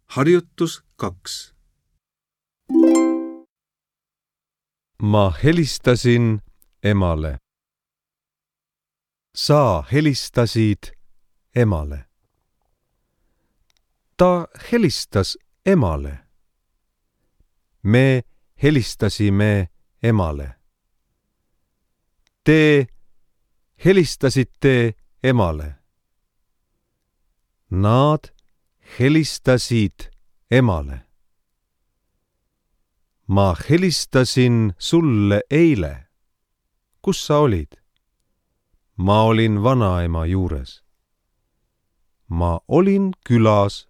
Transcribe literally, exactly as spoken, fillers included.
Harjutus kaks. Ma helistasin emale. Sa helistasid emale. Ta helistas emale. Me helistasime emale. Te helistasite emale. Nad helistasid emale. Ma helistasin sulle eile. Kus sa olid? Ma olin vanaema juures. Ma olin külas.